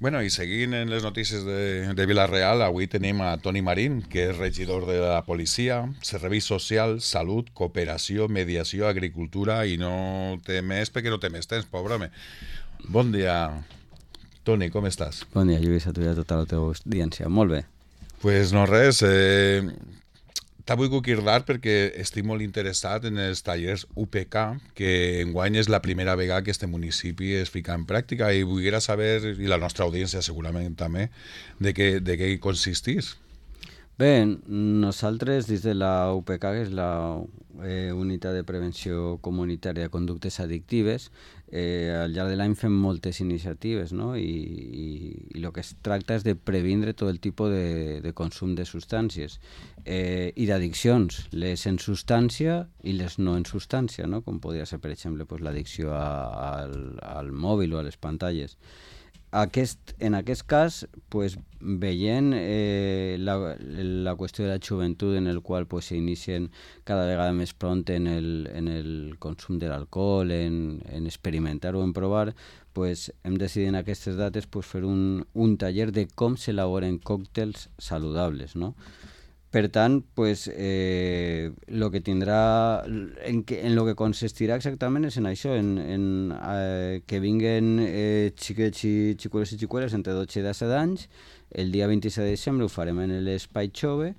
Bueno, i seguint en les notícies de Vila-real, avui tenim a Toni Marín, que és regidor de la policia, serveis socials, salut, cooperació, mediació, agricultura, i no té més perquè no té més temps, pobre home. Bon dia, Toni, com estàs? Bon dia, Lluís, a tu i a tota la teva audiència. Molt bé. Pues no res, t'ha volgut cridar perquè estic molt interessat en els tallers UPK, que enguany és la primera vegada que este municipi es fica en pràctica i volguera saber, i la nostra audiència segurament també, de què consistís. Bé, nosaltres des de la UPK, que és la Unitat de Prevenció Comunitària de Conductes Addictives, al llarg de l'any fem moltes iniciatives, no? I el que es tracta és de previndre tot el tipus de consum de substàncies i d'addiccions, les en substància i les no en substància, no? Com podria ser, per exemple, pues, l'addicció al mòbil o a les pantalles. En aquest cas, pues, veient la qüestió de la joventut en el qual pues, s'inicien cada vegada més pront en el consum de l'alcohol, en experimentar o en provar, pues, hem decidit en aquestes dates pues, fer un taller de com s'elaboren còctels saludables, no? Per tant, pues, lo que tindrà, en lo que consistirà exactament és en això, que vinguen xiquets i xicueles i xicueles entre 12 i 17 anys. El dia 26 de desembre ho farem en l'Espai Jove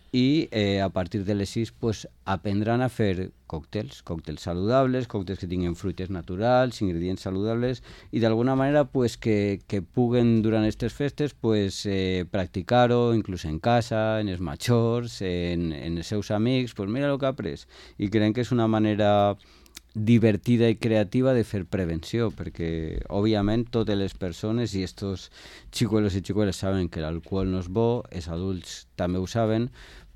i a partir de les 6 pues, aprendran a fer còctels saludables, còctels que tinguin fruites naturals, ingredients saludables i d'alguna manera pues, que puguen durant aquestes festes pues, practicar-ho inclús en casa, en els majors, en els seus amics, pues mira el que ha après. I creiem que és una manera divertida i creativa de fer prevenció, perquè òbviament totes les persones i estos xicuelos i xicueles saben que l'alcohol no és bo, els adults també ho saben,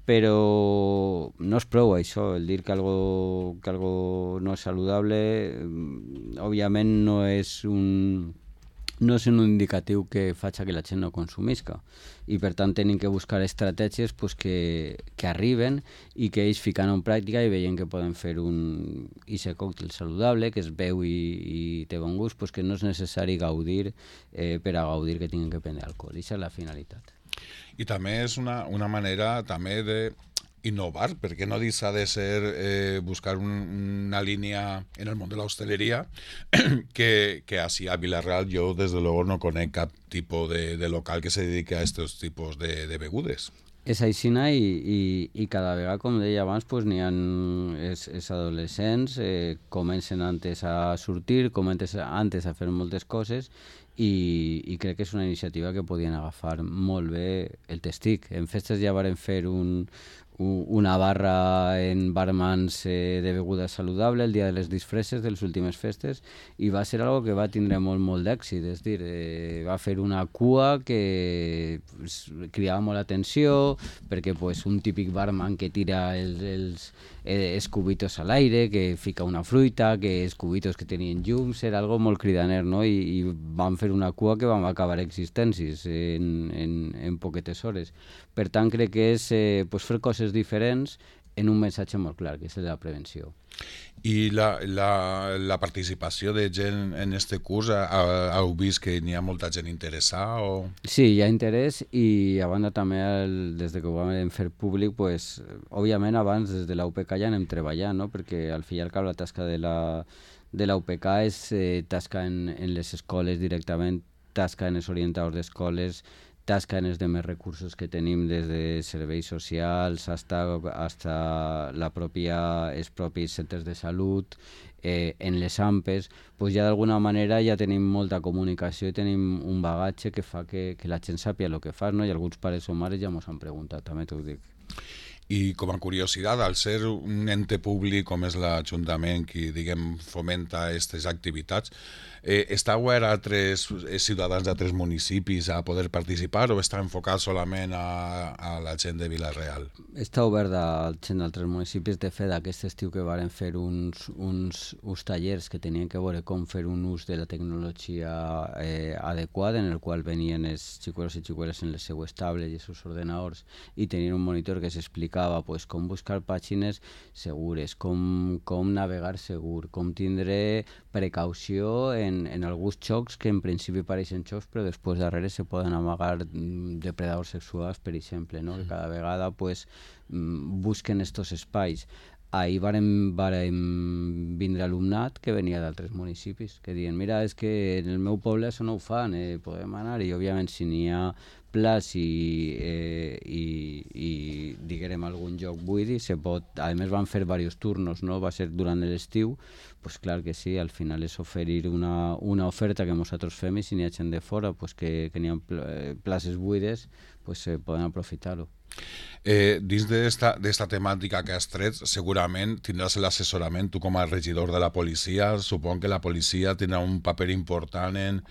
però no és prou això, el dir que algo no és saludable òbviament no és un indicatiu que faci que la gent no consumisca i per tant tenim que buscar estratègies pues, que arriben i que ells ficant en pràctica i veient que poden fer un còctel saludable que es veu i té bon gust, pues, que no és necessari gaudir per a gaudir que tinguin que prendre alcohol. Aquesta és la finalitat. I també és una manera també de innovar, perquè no deixa de ser buscar una línia en el món de l'hostaleria que així a Vila-real jo des de luego no conec cap tipus de local que se dedique a aquests tipus de begudes. És aixina i cada vegada, com deia abans, pues, n'hi ha els adolescents, comencen antes a sortir, comencen antes a fer moltes coses i crec que és una iniciativa que podien agafar molt bé el testic. En festes ja varen fer una barra en barmans de beguda saludable el dia de les disfresses de les últimes festes i va ser algo que va tindre molt d'èxit, és dir, va fer una cua que cridava molt l'atenció perquè pues, un típic barman que tira els cubitos a l'aire, que fica una fruita, que els cubitos que tenien llums, era algo molt cridaner, no? I van fer una cua que vam acabar existències en poquetes hores. Per tant, crec que és pues, fer coses diferents en un missatge molt clar, que és el de la prevenció. I la participació de gent en este curs, heu vist que n'hi ha molta gent interessada? O... Sí, hi ha interès i a banda també des de que ho vam fer públic, pues, òbviament abans des de la UPK ja anem treballant, no? Perquè al fi i al cap la tasca de la UPK és tasca en les escoles directament, tasca en els orientadors d'escoles, tasca en els demés recursos que tenim des de serveis socials hasta els propis centres de salut, en les AMPES, pues ja d'alguna manera ja tenim molta comunicació i tenim un bagatge que fa que la gent sàpia el que fa, no? I alguns pares o mares ja mos han preguntat, també t'ho dic. I com a curiositat, al ser un ente públic com és l'Ajuntament qui, diguem, fomenta aquestes activitats, està obert a altres ciutadans d'altres municipis a poder participar o està enfocat solament a la gent de Vila-real? Està obert a gent d'altres municipis. De fet, aquest estiu que varen fer uns tallers que tenien que veure com fer un ús de la tecnologia adequat, en el qual venien els xicuelos i xicueles en les seues tables i els seus ordenadors i tenien un monitor que s'explicava explicava pues, com buscar pàgines segures, com navegar segur, com tindre precaució en alguns xocs que en principi pareixen xocs però després darrere se poden amagar depredadors sexuals, per exemple, no? Que cada vegada pues, busquen estos espais. Ahir vàrem vindre alumnat que venia d'altres municipis, que diuen, mira, és que en el meu poble això no ho fan, podem anar, i òbviament si n'hi ha plaç i diguem algun lloc buidi, se pot, a més van fer diversos turnos, no? Va ser durant l'estiu, pues clar que sí, al final és oferir una oferta que nosaltres fem i si n'hi ha gent de fora pues que n'hi ha places buides, pues poden aprofitar-ho. Dins d'esta temàtica que has tret, segurament tindràs l'assessorament, tu com a regidor de la policia, supon que la policia tindrà un paper important en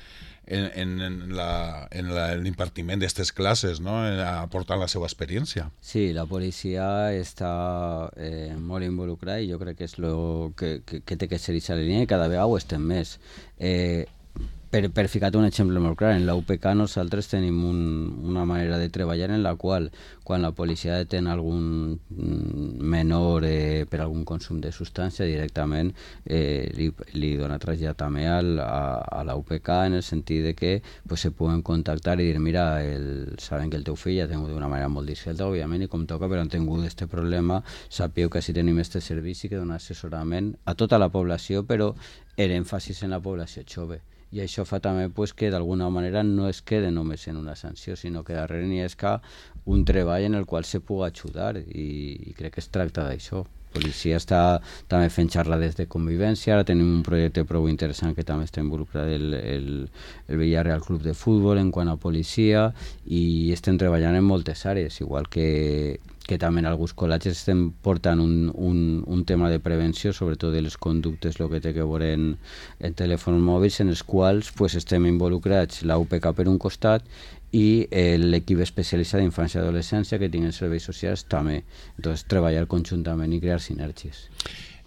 l'impartiment d'aquestes classes, no? Aportant la seva experiència. Sí, la policia està molt involucrada i jo crec que és el que té que ser aquesta línia i cada vegada ho estem més. Per ficar-te un exemple molt clar, en la UPK nosaltres tenim una manera de treballar en la qual quan la policia detén algun menor per algun consum de substància directament li dona trasllat també a la UPK en el sentit de que pues, se poden contactar i dir mira, saben que el teu fill ha tingut d'una manera molt discreta, òbviament, i com toca, però han tingut aquest problema, sapeu que si tenim aquest servici que dona assessorament a tota la població, però l'èmfasis en la població jove. I això fa també pues, que d'alguna manera no es quede només en una sanció, sinó que darrere n'hi ha un treball en el qual se pugui ajudar i crec que es tracta d'això. La policia està també fent xerrades de convivència, ara tenim un projecte prou interessant que també està involucrat el Villarreal Club de Futbol en quant a policia i estem treballant en moltes àrees, igual que també en alguns col·legis estem portant un tema de prevenció, sobretot de les conductes, el que té que veure en telèfons mòbils, en els quals pues, estem involucrats la UPK per un costat i l'equip especialista d'infància i adolescència que tinguen serveis socials també. Entonces, treballar conjuntament i crear sinergies.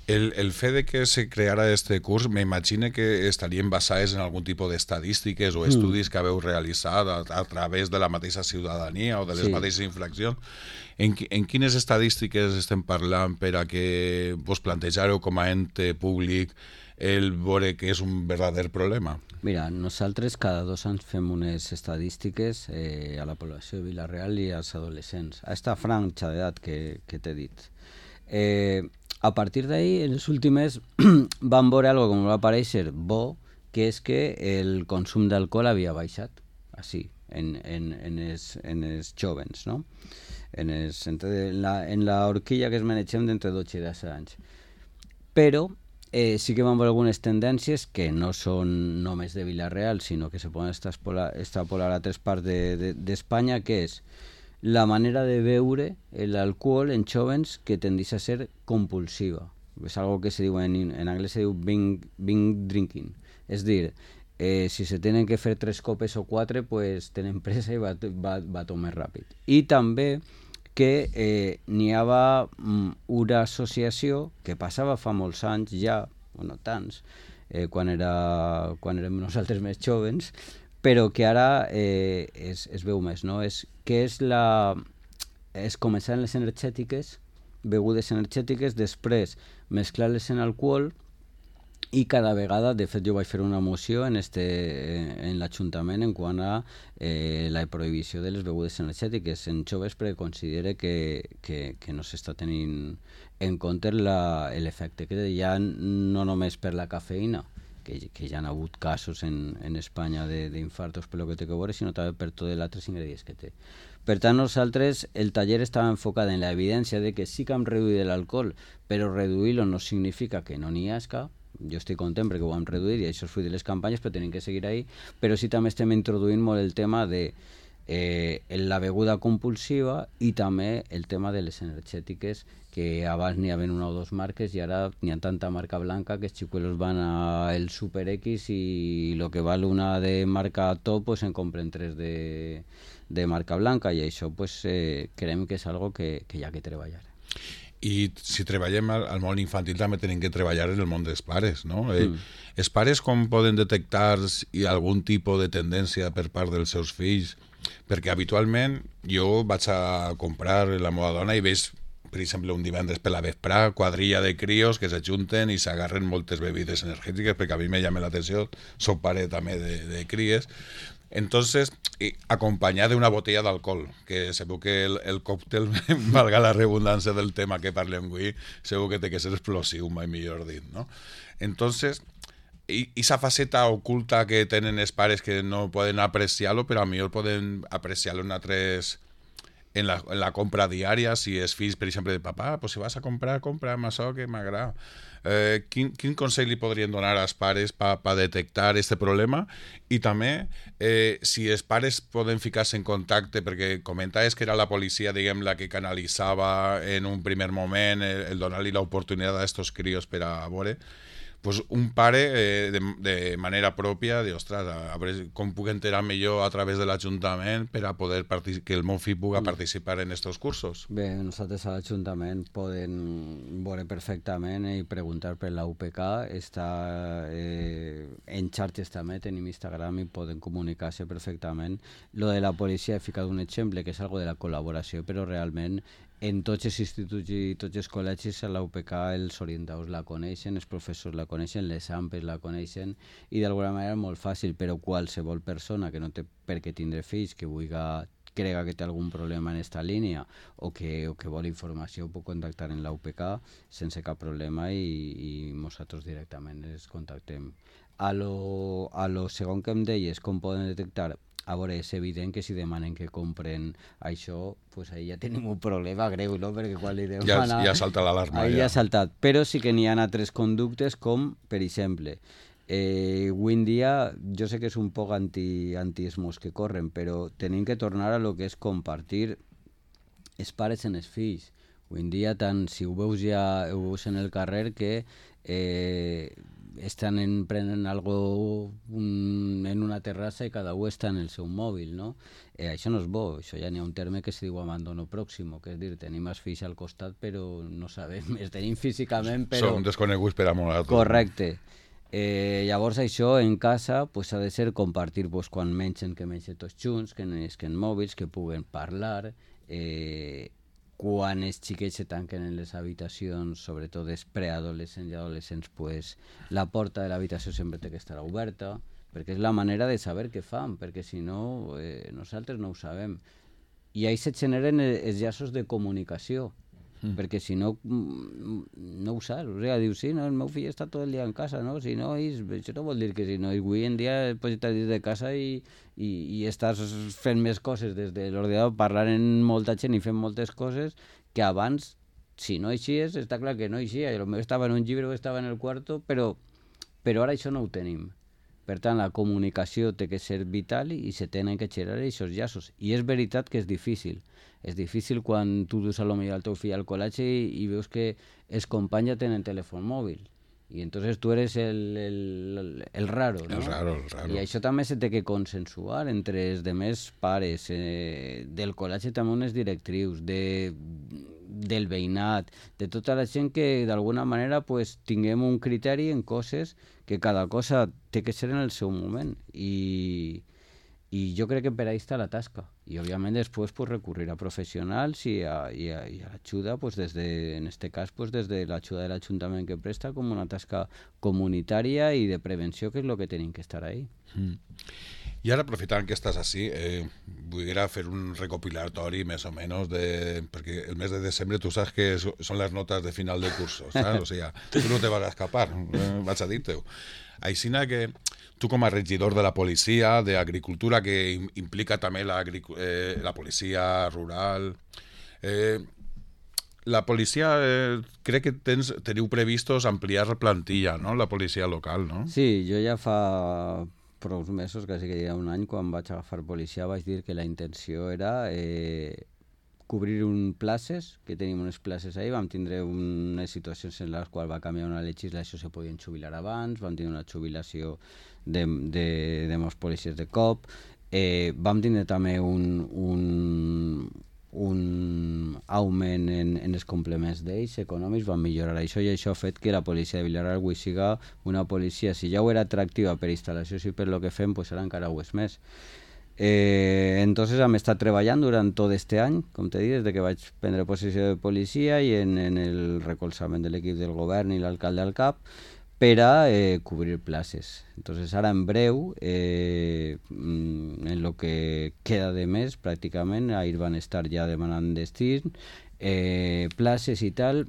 El fet de que se creara este curs m'imagino que estarien basades en algun tipus d'estadístiques o estudis que haveu realitzat a través de la mateixa ciutadania o de les mateixes infraccions. En quines estadístiques estem parlant per a que vos plantejareu com a ente públic el veure que és un verdader problema? Mira, nosaltres cada 2 anys fem unes estadístiques a la població de Vila-real i als adolescents, a esta franja d'edat que t'he dit. A partir d'ahí, en les últimes vam veure algo que va aparèixer bo, que és que el consum d'alcohol havia baixat, així, en els jóvens, no? En la horquilla que es manegem d'entre 12 i 10 anys. Però sí que vam veure algunes tendències que no són només de Vila-real, sinó que se poden extrapolar a altres parts d'Espanya, que és la manera de beure l'alcohol en jóvens que tendeix a ser compulsiva. És algo que se diu en anglès, se diu binge drinking. És dir, si se tenen que fer 3 copes o 4, pues tenen pressa i va tot més ràpid. I també que n'hi havia una associació que passava fa molts anys ja, o no tants, quan érem nosaltres més jóvens, però que ara es veu més, no? És començar en les energètiques, begudes energètiques, després mesclar-les en alcohol i cada vegada, de fet jo vaig fer una moció en l'Ajuntament en quant a la prohibició de les begudes energètiques en joves perquè considere que no s'està tenint en compte l'efecte que hi ha no només per la cafeïna, que ja han hagut casos en Espanya d'infartos per lo que té que veure, sinó també per tots els altres ingredients que té. Per tant, nosaltres, el taller estava enfocat en l'evidència de que sí que hem reduït l'alcohol, però reduir-lo no significa que no n'hi hagi. Jo estic content perquè ho hem reduït i això és fruit de les campanyes, però tenim que seguir ahí. Però sí també estem introduint molt el tema de la beguda compulsiva i també el tema de les energètiques, que abans n'hi havia 1 o 2 marques i ara n'hi ha tanta marca blanca que els xicuelos van al Super X i el que val una de marca top pues en compren 3 de marca blanca i això pues, creiem que és algo que hi ha que treballar. I si treballem al món infantil també tenim que treballar en el món dels pares, no? Els pares com poden detectar algun tipus de tendència per part dels seus fills? Perquè habitualment jo vaig a comprar la meva dona i veig per exemple, un divendres per la vesprà, quadrilla de crios que s'ajunten i s'agarren moltes bebides energètiques, perquè a mi me llama l'atenció, soc pare també de cries. Entonces, acompañada de una botella d'alcohol, que segur que el còctel, valga la redundància del tema que parlem avui, segur que té que ser explosiu, mai millor dit, no? Entonces, i esa faceta oculta que tenen els pares que no poden apreciar-lo, però a millor poden apreciar-lo en la compra diària, si els fills, per exemple, de papà, pues si vas a comprar, compra amb això que m'agrada. Quin consell li podrien donar als pares per detectar aquest problema? I també, si els pares poden ficar-se en contacte, perquè comentaves que era la policia, diguem, la que canalitzava en un primer moment el donar-li l'oportunitat a estos crios per a veure, pues un pare de manera pròpia de, ostres, a veure com puc enterar millor a través de l'Ajuntament per a poder que el meu fill pugui participar en aquests cursos. Bé, nosaltres a l'Ajuntament poden veure perfectament i preguntar per la UPK, està en xarxes també, tenim Instagram i poden comunicar-se perfectament. Lo de la policia he ficat un exemple que és algo de la col·laboració, però realment en tots els instituts i tots els col·legis a la UPK els orientadors la coneixen, els professors la coneixen, les AMPs la coneixen i d'alguna manera és molt fàcil, però qualsevol persona que no té per què tindre fills, que crega que té algun problema en esta línia o que vol informació pot contactar en la UPK sense cap problema i nosaltres directament els contactem. A lo segon que em deies, com poden detectar? A veure, és evident que si demanen que compren això, pues ahí ja tenim un problema greu, no? Perquè quan li demanen... Ja salta l'alarma. Ja ha saltat. Però sí que n'hi ha altres conductes com, per exemple, avui en dia, jo sé que és un poc anti-esmos que corren, però tenim que tornar a lo que és compartir els pares en els fills. Avui en dia, tant si ho veus en el carrer que prenen algo en una terrassa i cada un està en el seu mòbil, no? Això no és bo, això ja n'hi ha un terme que se diu abandono pròximo, que és dir, tenim els fills al costat però no sabem, els tenim físicament però... Som desconeguts per a nosaltres. Correcte. Llavors això en casa pues, ha de ser compartir pues, quan mengen, que mengen tots junts, que no esquen mòbils, que puguen parlar, quan els xiquets se tanquen en les habitacions, sobretot els preadolescents i adolescents, pues, la porta de l'habitació sempre té que estar oberta, perquè és la manera de saber què fan, perquè si no, nosaltres no ho sabem. I ahí se generen els llaços de comunicació, perquè si no, no ho saps. O sigui, dius, sí, no, el meu fill està tot el dia en casa, no? Si no, això no vol dir que si no, avui en dia pots estar dins de casa i estàs fent més coses des de l'ordinador, parlant amb molta gent i fent moltes coses que abans, si no eixies, està clar que no eixia. Potser estava en un llibre o estava en el quarto, però ara això no ho tenim. Per tant, la comunicació té que ser vital i se tenen que generar aquests llaços. I és veritat que és difícil. És difícil quan tu dus a lo millor el teu fill al col·legi i veus que els companys ja tenen telèfon mòbil. I entonces tu eres el raro, no? El raro. I això també se té que consensuar entre els demés pares, del col·legi també unes directrius, del veïnat, de tota la gent que d'alguna manera pues, tinguem un criteri en coses que cada cosa té que ser en el seu moment i jo crec que per ahí està la tasca i òbviament després pues, recurrir a professionals i a l'ajuda pues, en este cas pues, des de l'ajuda de l'Ajuntament que presta com una tasca comunitària i de prevenció que és el que tenim que estar ahí. I ara, aprofitant que estàs així, vull fer un recopilatori més o menys, perquè el mes de desembre tu saps que són les notes de final de cursos, saps? O sigui, tu no te vas a escapar, vaig a dir-te-ho. Així que tu com a regidor de la policia, d'agricultura, que implica també la policia rural, la policia, crec que teniu previstos ampliar la plantilla, no?, la policia local, no? Sí, jo ja fa prou mesos, quasi que ja un any, quan vaig agafar policia, vaig dir que la intenció era cobrir places, que tenim unes places ahí, vam tindre unes situacions en les quals va canviar una legislació, se podien jubilar abans, vam tindre una jubilació de molts policies de cop, vam tindre també un augment en els complements d'ells econòmics, van millorar això i això ha fet que la policia de Vilareal avui siga una policia, si ja ho era atractiva per instal·lacions i per lo que fem, pues ara encara ho és més. entonces hem estat treballant durant tot este any, com t'he dit, des de que vaig prendre possessió de policia i en el recolzament de l'equip del govern i l'alcalde al cap, per a cobrir places. Entonces ara en breu, en lo que queda de mes pràcticament, ahir van estar ja demanant destins, places i tal,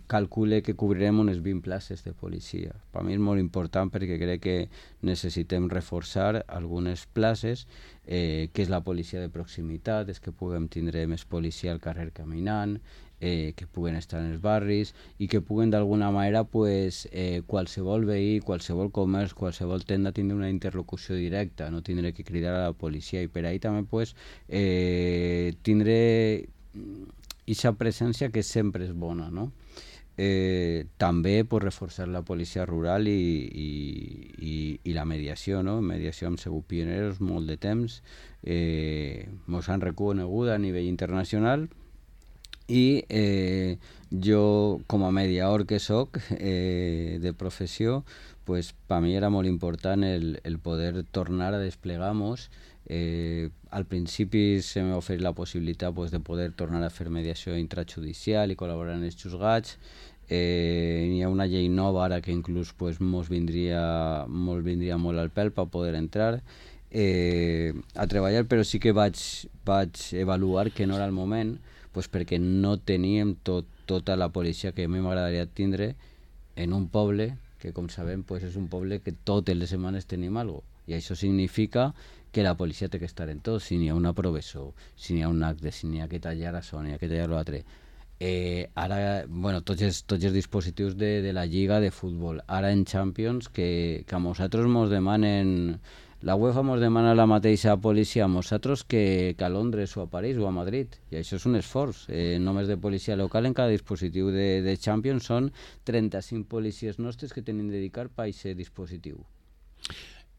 calcule que cobrirem unes 20 places de policia. Per mi és molt important perquè crec que necessitem reforçar algunes places, que és la policia de proximitat, és que puguem tindre més policia al carrer caminant, que puguen estar en els barris i que puguen d'alguna manera qualsevol veí, qualsevol comerç, qualsevol tenda tindre una interlocució directa, no tindre que cridar a la policia, i per ahí també tindre aquesta presència que sempre és bona, no? També reforçar la policia rural i la mediació, no? Mediació hem sigut pioneros molt de temps, mos han reconegut a nivell internacional, i jo com a mediador que soc de professió, pues, per mi era molt important el poder tornar a desplegar-nos. Al principi se m'ha oferit la possibilitat de poder tornar a fer mediació intrajudicial i col·laborar en els juzgats. Hi ha una llei nova ara que inclús mos vindria molt al pèl per poder entrar a treballar, però sí que vaig avaluar que no era el moment, perquè no teníem tota la policia que a mi m'agradaria tindre en un poble que, com sabem, és un poble que totes les setmanes tenim alguna cosa, i això significa que la policia té que estar en tot, si n'hi ha una professor, si n'hi ha un acte, si n'hi ha que tallar això, n'hi ha que tallar l'altre. Ara, tots els dispositius de la lliga de futbol, ara en Champions, que a nosaltres mos demanen, la UEFA mos demana la mateixa policia a nosaltres que a Londres o a París o a Madrid, i això és un esforç. Només de policia local en cada dispositiu de Champions són 35 policies nostres que tenim de dedicar per a aquest dispositiu.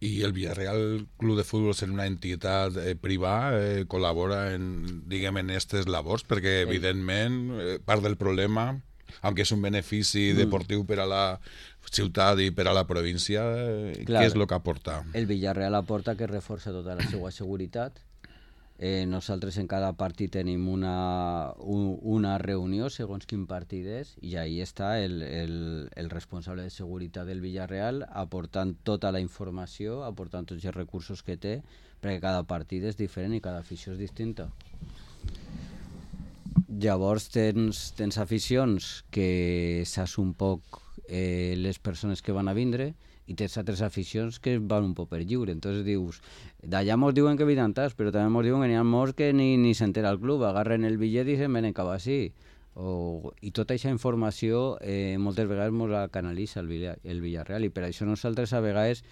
I el Villarreal Club de Futbol, sent una entitat privada, col·labora en aquestes labors, perquè evidentment part del problema, aunque és un benefici deportiu per a la ciutat i per a la província, què és el que aporta? El Villarreal aporta que reforça tota la seva seguretat. Nosaltres en cada partit tenim una reunió segons quin partit és, i ahí està el responsable de seguretat del Villarreal aportant tota la informació, aportant tots els recursos que té, perquè cada partit és diferent i cada afició és distinta. Llavors tens aficions que saps un poc les persones que van a vindre, i tens altres aficions que van un poc per lliure. Entonces dius, d'allà mos diuen que vinen tants, però també mos diuen que n'hi ha molts que ni s'entera el club, agarren el bitllet i se'n venen cap així. I tota aquesta informació moltes vegades mos la canalitza el Villarreal, i per això nosaltres a vegades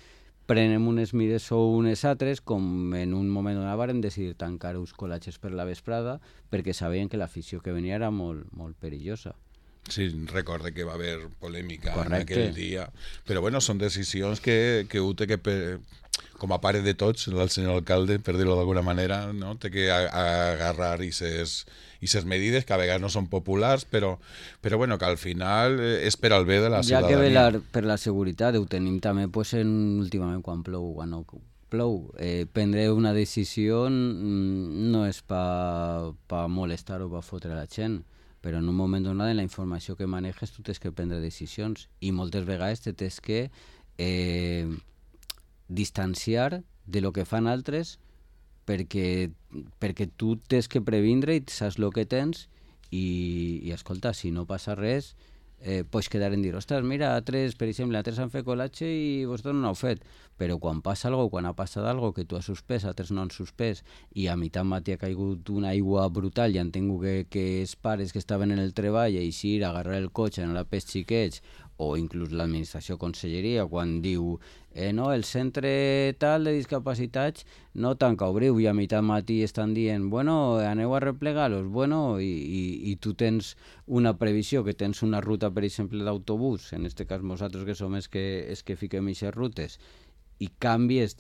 prenem unes mides o unes altres, com en un moment donat vàrem decidir tancar uns col·latges per la vesprada, perquè sabien que l'afició que venia era molt, molt perillosa. Sí, recorde que va haver polèmica en aquell dia, però bueno, són decisions que ho té que, com a pare de tots, el senyor alcalde, per dir-ho d'alguna manera, no? Té que agarrar aquestes medides que a vegades no són populars, però bueno, que al final és per al bé de la ciutadania. Ja que velar per la seguretat, ho tenim també últimament quan plou, quan no plou. Prendre una decisió no és per molestar o per fotre la gent, però en un moment donat, en la informació que maneges, tu tens que prendre decisions, i moltes vegades te tens que distanciar de lo que fan altres, perquè tu tens que previndre i saps el que tens, i escolta, si no passa res, pots quedar en dir, ostres, mira, per exemple, altres han fet col·latge i vosaltres no heu fet, però quan passa alguna cosa, quan ha passat alguna cosa que tu has suspès, altres no han suspès, i a mitjà matí ha caigut una aigua brutal i han tingut que els pares que estaven en el treball eixir, agarrar el cotxe, anar pels xiquets, o inclús l'administració conselleria, quan diu no, el centre tal de discapacitats no tanca, obriu, i a mitjà matí estan dient, bueno, aneu a replegar-los, bueno, i tu tens una previsió, que tens una ruta, per exemple, d'autobús, en aquest cas nosaltres que som els que fiquem aquestes rutes, i canviar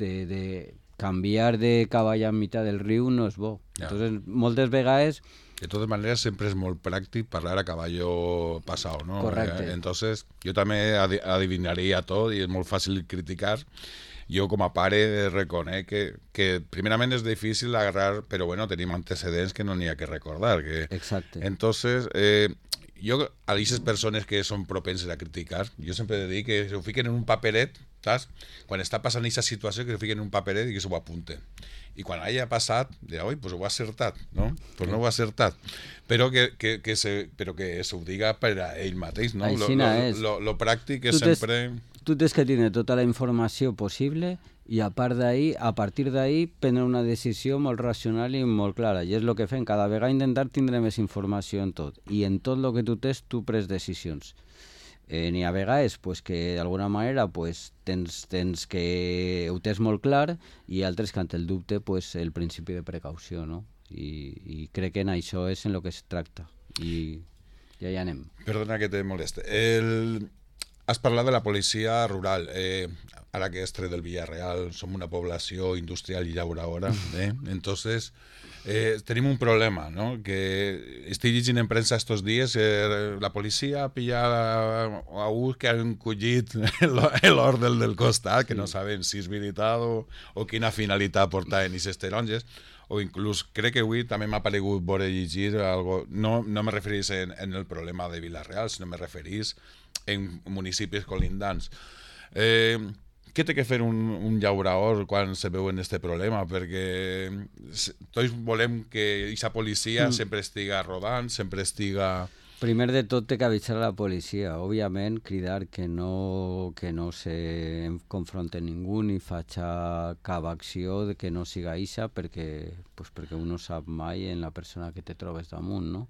de cavall a mitjà del riu no és bo. Ja. Entonces, moltes vegades... De totes maneres, sempre és molt pràctic parlar a caballo passat, ¿no? Correcte. Entonces, jo també adivinaria tot i és molt fàcil criticar. jo com a pare reconec que primerament és difícil agarrar, però bueno, tenim antecedents que no n'hi ha que recordar. Exacte. Entonces, jo a aquestes persones que són propenses a criticar, jo sempre he de dir que ho fiquen en un paperet, saps? Quan està passant aquesta situació, que ho fiquen en un paperet i que s'ho apunten. I quan hagi passat, dirà, oi, pues ho ha acertat, no? Pues no ho ha acertat. Però que s'ho diga per a ell mateix, no? Lo pràctic és sempre... Tu tens que tenir tota la informació possible i a partir d'ahí prendre una decisió molt racional i molt clara. I és el que fem, cada vegada intentar tindre més informació en tot. I en tot el que tu tens, tu pres decisions. N'hi ha vegades pues, que d'alguna manera pues, tens que ho tens molt clar i altres que ante el dubte pues, el principi de precaució, no? I crec que en això és en el que es tracta. I ja hi anem. Perdona que te moleste. Has parlat de la policia rural. Ara que és tret del Villarreal, som una població industrial i llauradora. Entonces, tenim un problema, ¿no? Que estic llegint en premsa estos dies, la policia ha pillat a un que han collit l'or del costat, que no saben si és veritat o quina finalitat portaven aquestes taronges, o inclús crec que avui també m'ha paregut veure llegir algo, no me referís en el problema de Vila-real, sinó me referís en municipis colindants. Què té que fer un llaurador quan se veu en aquest problema? Perquè tots volem que aquesta policia sempre estiga rodant, sempre estiga... Primer de tot té que avisar a la policia, òbviament cridar que no se confronte ningú ni faci cap acció que no siga eixa perquè un no sap mai en la persona que te trobes damunt, no?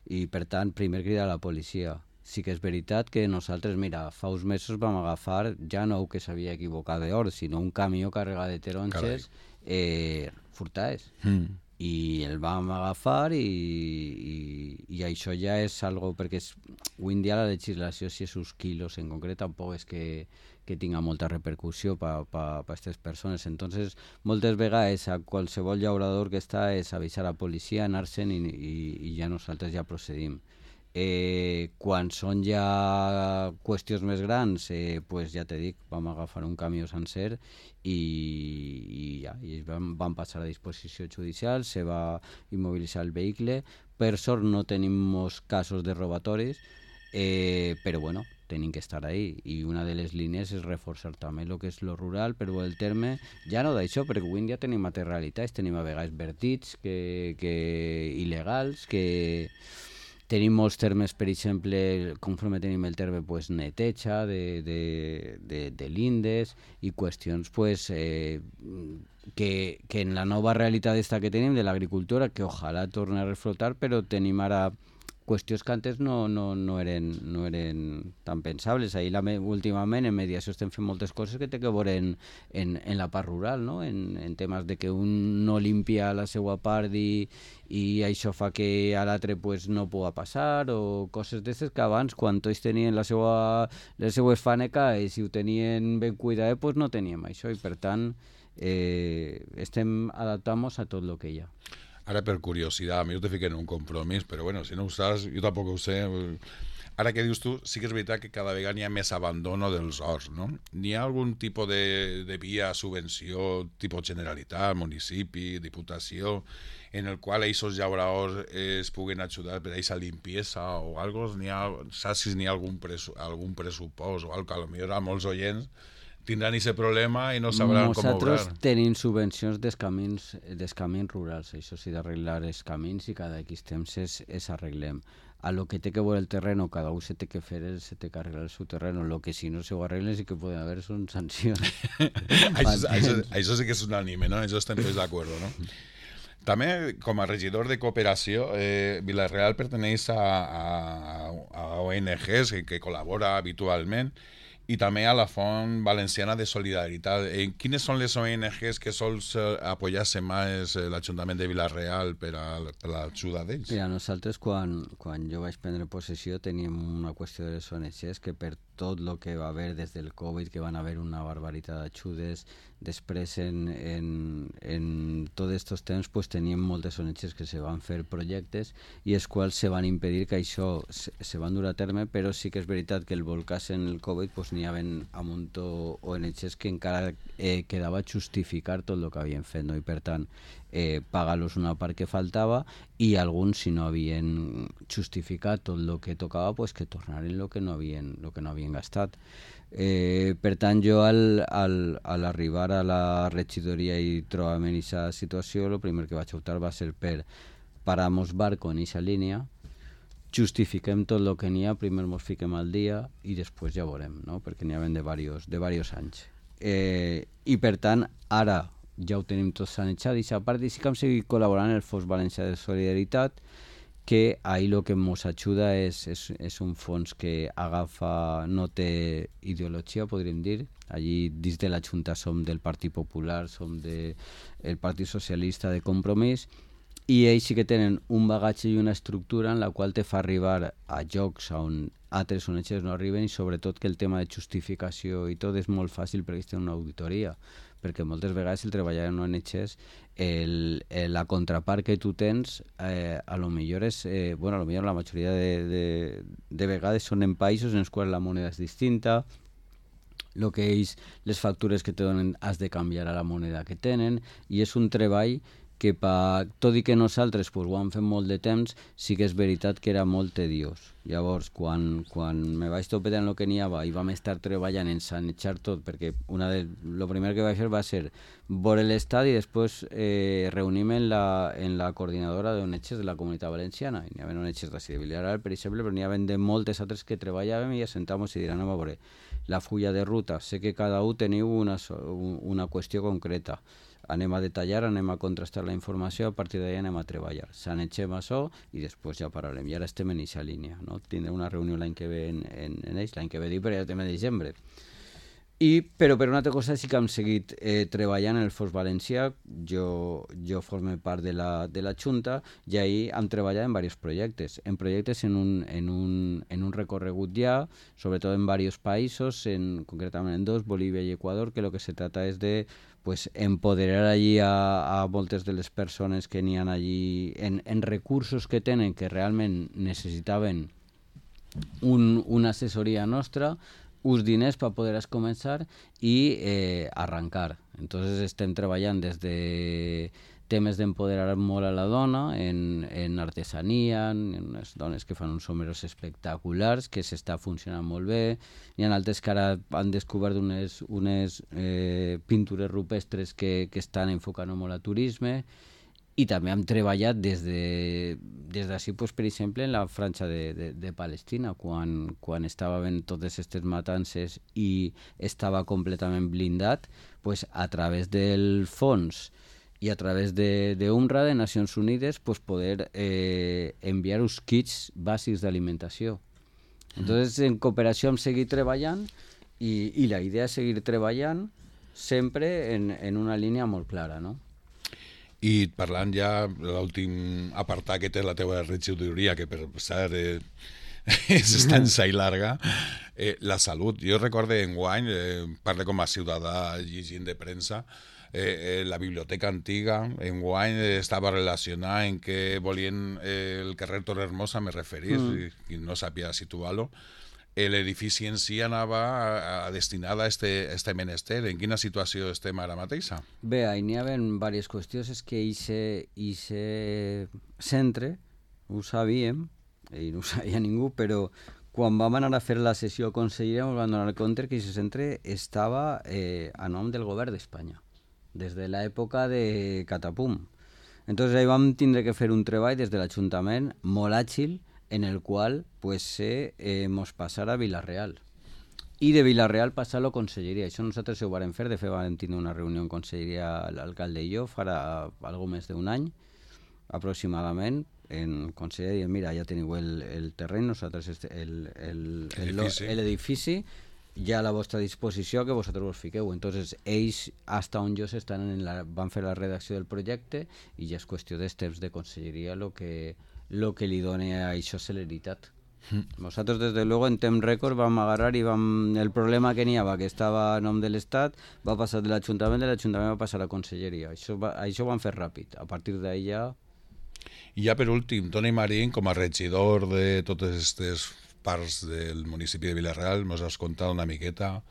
I per tant, primer cridar a la policia. Sí que és veritat que nosaltres, mira, fa uns mesos vam agafar ja no que s'havia equivocat d'or, sinó un camió carregat de taronges furtades. I el vam agafar i això ja és algo, perquè avui en dia la legislació, si és uns quilos en concret, tampoc és que tinga molta repercussió per a aquestes persones. Entonces, moltes vegades a qualsevol llaurador que està és avisar a la policia, anar-se'n i ja nosaltres ja procedim. Quan són ja qüestions més grans, pues ja t'he dit, vam agafar un camió sencer i vam passar a disposició judicial, se va immobilitzar el vehicle. Per sort no tenim molts casos de robatoris, però bueno, tenim que estar ahí, i una de les línies és reforçar també el que és lo rural, però el terme, ja no d'això, perquè avui en dia tenim altres realitats, tenim a vegades vertits il·legals, que tenim molts termes, per exemple, conforme tenim el terme, pues, neteja de lindes i qüestions pues, que en la nova realitat que tenim de l'agricultura, que ojalà torni a reflotar, però tenim ara qüestions que antes no eren tan pensables. Ahir, últimament, en mediació estem fent moltes coses que té que veure en la part rural, no? En temes de que un no limpia la seva part i això fa que a l'altre pues, no pugui passar, o coses d'aquestes que abans, quan tots tenien les seues faneques i ho tenien ben cuidat, pues no teníem això, i per tant estem adaptant-nos a tot el que hi ha. Ara, per curiositat, a mi ho te fiquen en un compromís, però bueno, si no ho saps, jo tampoc ho sé. Ara que dius tu, sí que és veritat que cada vegada hi ha més abandono dels horts, no? N'hi ha algun tipus de via, subvenció, tipus Generalitat, municipi, diputació, en el qual aquests llauradors es puguen ajudar per a aquesta limpiesa o algo? Saps si n'hi ha algun pressupost o algo que potser a molts oients tindran aquest problema i no sabran com obrar. Nosaltres tenim subvencions dels camins rurals, això sí, d'arreglar els camins, i cada X temps es arreglem. A lo que té que veure el terreno, cada un se té que fer, se té que arreglar el seu terreno. Lo que si no se ho arreglen sí que poden haver són sancions. Això sí que és un anime, no? Això estem tots d'acord, no? També, com a regidor de cooperació, Vila-real perteneix a ONGs que col·labora habitualment, i també a la Font Valenciana de Solidaritat. Quines són les ONGs que sols apoyar-se més l'Ajuntament de Vila-real per a l'ajuda d'ells? Mira, nosaltres quan jo vaig prendre possessió teníem una qüestió de les ONGs que per tot el que va haver des del Covid, que van haver una barbaritat d'ajudes. Després, en tots aquests temps, pues, teníem moltes ONGs que se van fer projectes i els quals se van impedir que això se van dur a terme, però sí que és veritat que el volcàs en el Covid pues, n'hi havia un munt d'ONGs que encara quedava justificar tot el que havien fet, no? I per tant pagar-los una part que faltava i alguns, si no havien justificat tot el que tocava, pues, que tornaren el que no havien gastat. Per tant, jo al arribar a la regidoria i trobar-me en aquesta situació, el primer que vaig optar va ser per parar-nos barco en aquesta línia, justifiquem tot el que n'hi ha, primer ens fiquem al dia i després ja veurem, no? Perquè n'hi havia de diversos anys. I per tant, ara ja ho tenim tot sanejat i a part sí que hem seguit col·laborant en el Fons Valencià de Solidaritat, que ahí lo que ens ajuda és un fons que agafa, no té ideologia, podríem dir. Allí dins de la Junta som del Partit Popular, som del Partit Socialista de Compromís, i ells sí que tenen un bagatge i una estructura en la qual te fa arribar a llocs on altres ONGs no arriben, i sobretot que el tema de justificació i tot és molt fàcil perquè ells tenen una auditoria, perquè moltes vegades el treballar en ONGs la contrapart que tu tens a lo millor és, bueno, a lo millor la majoria de vegades són en països en els quals la moneda és distinta, el que ells, les factures que te donen has de canviar a la moneda que tenen, i és un treball que tot i que nosaltres pues, ho hem fet molt de temps, sí que és veritat que era molt tediós. Llavors, quan me vaig topetar en el que n'hi havia i vam estar treballant en sanejar tot, perquè el primer que vaig fer va ser veure l'estat i després reunir-me en la coordinadora d'ONGs de la Comunitat Valenciana. N'hi havia ONGs d'ací de Vilareal, per exemple, però n'hi havia de moltes altres que treballàvem i assentàvem i direm, anem a veure la fulla de ruta. Sé que cada un teniu una qüestió concreta. Anem a detallar, anem a contrastar la informació, a partir d'ahí anem a treballar. Sanegem això i després ja parlarem. I ara estem en aquesta línia, no? Tindrem una reunió l'any que ve en ells, l'any que ve dic, però ja estem a desembre. Però per una altra cosa sí que hem seguit treballant en el Fons Valencià. Jo formo part de la Junta i ahí hem treballat en diversos projectes. En projectes en un recorregut ja, sobretot en diversos països, concretament en dos, Bolívia i Equador, que el que se trata és de empoderar allí a moltes de les persones que n'hi ha allí en recursos que tenen que realment necessitaven una assessoria nostra, uns diners per poder començar i arrencar. Entonces estem treballant des de temes d'empoderar molt a la dona en artesania, en unes dones que fan uns someros espectaculars, que s'està funcionant molt bé. Hi ha altres que ara han descobert unes pintures rupestres que estan enfocant molt a turisme. I també hem treballat des d'ací, per exemple, en la franja de Palestina, quan estava havent totes aquestes matances i estava completament blindat, a través del fons i a través d'UNRWA, de Nacions Unides, poder enviar uns kits bàsics d'alimentació. Entonces, en cooperació hem seguit treballant i la idea és seguir treballant sempre en una línia molt clara, no? I parlant ja de l'últim apartat que té la teva regidoria, que per cert és extensa i llarga, la salut. Jo recordo enguany, parlo com a ciutadà llegint de premsa, la biblioteca antiga enguany estava relacionada en que volien el carrer Torrehermosa, me referís, i no sabia situar-lo. L'edifici en si anava destinada a este menester. En quina situació estem ara mateixa? Bé, n'hi ha diverses qüestions. És que aquest centre ho sabíem, i no ho sabia ningú, però quan vam anar a fer la sessió consellera ens vam donar compte que aquest centre estava a nom del govern d'Espanya, des de l'època de Catapum. Entonces ahí vam tindre que fer un treball des de l'Ajuntament molt àgil, en el qual mos passar a Vila-real. I de Vila-real passar a la conselleria. Això nosaltres ho vam fer, de fet vam tenir una reunió en conselleria l'alcalde i jo, farà algo més d'un any, aproximadament, en conselleria, mira, ja teniu el terreny, nosaltres l'edifici, ja a la vostra disposició, que vosaltres vos fiqueu. Entonces, ells, hasta on jo van fer la redacció del projecte i ja és qüestió dels temps de conselleria lo que li dona a això celeritat. Nosaltres, des de luego, en temps rècord vam agarrar i el problema que n'hi havia, que estava a nom de l'Estat, va passar de l'Ajuntament va passar a la Conselleria. Això ho van fer ràpid. A partir d'ahir ja... I ja per últim, Toni Marín, com a regidor de totes aquestes parts del municipi de Vila-real, ens has contat una miqueta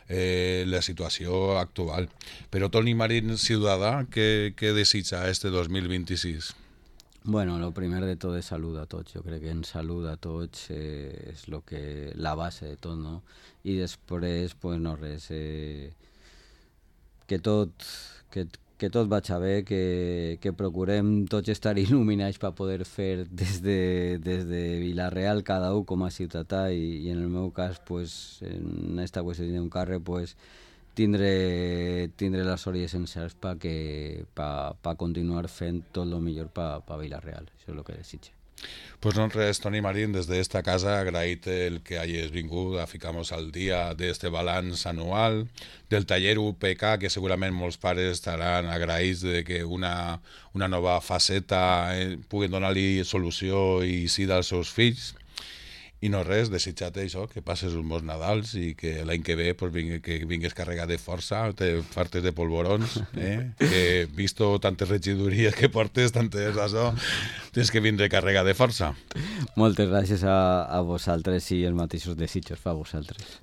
la situació actual. Però Toni Marín, ciutadà, què desitja este 2026? Bueno, lo primer de tot és salut a tots. Jo crec que en salut a tots és la base de tot, no? I després, pues no res, que tot vagi bé, que procurem tots estar il·luminats per poder fer des de Vila-real cada un com a ciutadà i en el meu cas, pues, en aquesta qüestió d'un carrer, pues, tindre les orelles sencers per continuar fent tot el millor per Vila-real. Això és el que desitge. Pues no res, Toni Marín, des d'esta casa agraït el que hagis vingut a ficar-nos al dia d'este balanç anual, del taller UPK, que segurament molts pares estaran agraïts de que una nova faceta pugui donar-li solució i sí als seus fills. I no res, desitjar-te això, que passes uns bons Nadals i que l'any que ve pues, que vingues carregat de força, te fartes de polvorons, que visto tantes regidories que portes, tantes això, tens que vindre carregat de força. Moltes gràcies a vosaltres i els mateixos desitjos per vosaltres.